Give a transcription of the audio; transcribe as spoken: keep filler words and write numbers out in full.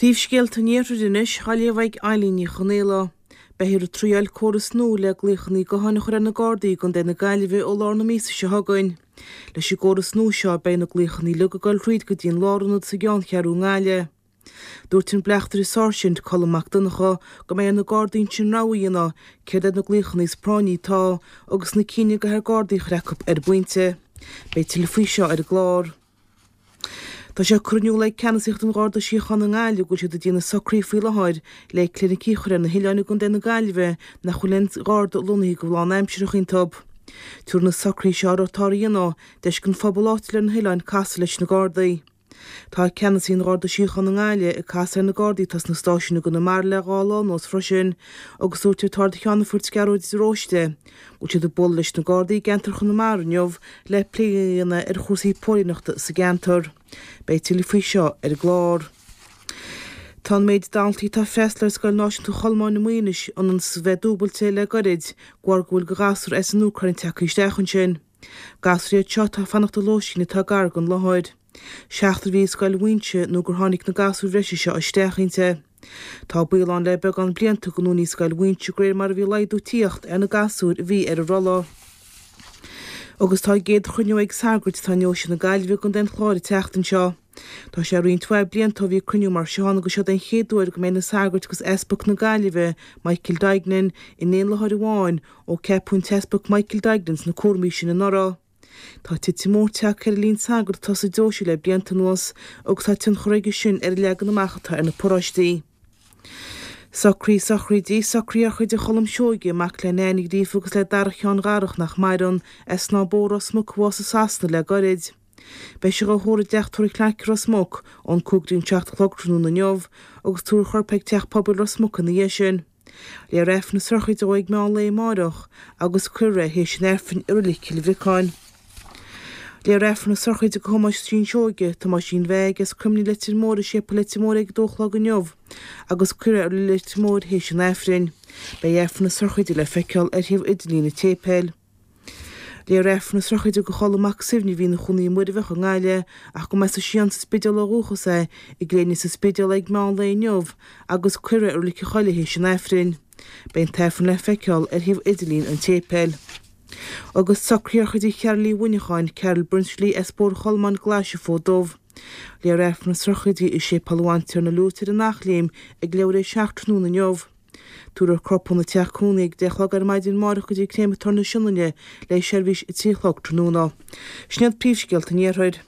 Príomhscéalta an Iarthair anois, á léamh ag Eileen Ní Chonaola. Beifear ag triail córas nua le glaochanna gutháin a chur ar na Gardaí i gContae na Gaillimhe ó lár na míosa seo chugainn. Leis an gcóras nua seo beidh na glaochanna uilig ag dul thríd go dtí an lárionad sa gceanncheathrú i nGaillimh. Dúirt an Bleachtaire Sáirsint Colm Mac Donncha go mbeidh ar na Gardaí ansin rogha a dhéanamh céard iad na glaochanna is práinní atá agus na cinn a gcaithfear Gardaí a chur acu ar an bpointe. Beidh tuilleadh faoi seo ar an gclár. Tá sé curtha in iúl ag Ceannasaíocht an Gharda Síochána i nGaillimh go bhfuil siad ag déanamh socruithe faoi láthair le clinicí a chur ar na hoileáin i gContae na Gaillimhe nach bhfuil aon Gharda lonnaithe go lánaimsearach iontu. Tabharfaidh na socruithe seo atá á dhéanamh deis don phobal áitiúil ar na hoileáin casadh leis na Gardaí. Tá ceannasaí an Gharda Síochána i nGaillimh ag casadh ar na Gardaí atá sna stáisiúin i gConamara le dhá lá anuas freisin agus dúirt an tArd-Cheannfort Gearóid de Róiste go bhfuil siad ag bualadh leis na Gardaí i gceantar Chonamara inniu le plé a dhéanamh ar chúrsaí póilíneachta sa gceantar. Beidh tuilleadh faoi seo ar an gclár. Tá an méid daltaí atá ag freastal ar Scoil Náisiúnta Cholmáin i Muighinis ionann is a bheith dúbailte le goirid de bharr go bhfuil de ghasúir as an Úcráin tagtha isteach ansin. Gasúir iad seo atá ag fanacht i lóistín atá gar don láthair. Seachtar a bhí i Scoil Mhuinseo nó gur tháinig na gasúir bhreise seo isteach inti. Tá baol ann le beagán blianta go ndúnfaí Scoil Mhuinseo de réir mar a bhí laghdú ag tíocht ar na gasúir a bhí ar an rolla. Agus tá a gcéad chruinniú ag sagairt atá i ndeoise na Gaillimhe i gContae an Chláir an tseachtain seo. Tá sé roinnt mhaith blianta ó bhí cruinniú mar seo ann agus seo den chéad uair go mbeidh na sagairt agus Easpag na Gaillimhe, Michael Duignan, in aon láthair amháin ó ceapadh an tEaspag Michael Duignan sna cúraimí sin anuraidh. Tá titim mór tagtha ar an líon sagart atá sa deoise le blianta anuas agus tá tionchar aige sin ar an leagan amach atá ar na paróistí. Socraí sochraidí, socraí sochraide Cholm Seoige, mac le Nain Ní Ghríofa agus le Darach Sheáin Dharach nach maireann, as Snáth Bó Ros Muc a bhásaigh i Sasana le goirid. Beidh sé dhá thórramh i dteach tórraimh Clarke Ros Muc ón cúig go dtí an seacht a chlog tráthnóna inniu agus tabharfar a chorp ag teach pobail Ros Muc ina dhiaidh sin. Léifear Aifreann na sochraide dó ag meán lae amárach agus cuirfear é théis an Aifrinn i Reilig Chill Bhriocáin. Léifear Aifreann na sochraide do Thomáisín Seoige, Tomáisín Mheaig as Croimlín Leitir Móir i Séipéal Leitir Móir ag a dó a chlog inniu agus cuirfear é i Reilig Leitir Móir théis an Aifrinn. Beidh Aifreann na sochraide le feiceáil ar shuíomh idirlín an tséipéil. Léifear Aifreann na sochraide do Cholm Mac Suibhne a bhí ina chónaí i Muirbheach i nGaillimh ach go mba as an Sián sa Spidéal ó dhúchas é i gCléine sa Spidéal ag meán lae inniu agus cuirfear é i Reilig an Choilligh théis an Aifrinn. Beidh an tAifreann le feiceáil ar shuíomh idirlín an tséipéil. Agus socruithe sochraide Chearl Uí Mhuineacháin, Carol Brinsley as Bóthar Cholmáin Glaise Fód Dubh. Léifear Aifreann na sochraide i Séipéal an Bhantiarna Liútar in Eachléim ag leathuair tar éis a seacht tráthnóna inniu. Tabharfar a corp óna teach cónaí ag deich a chlog ar maidin amárach go dtí Créamatóir na Sionainne le seirbhís a trí a chlog tráthnóna. Sin iad príomhscéalta an Iarthair.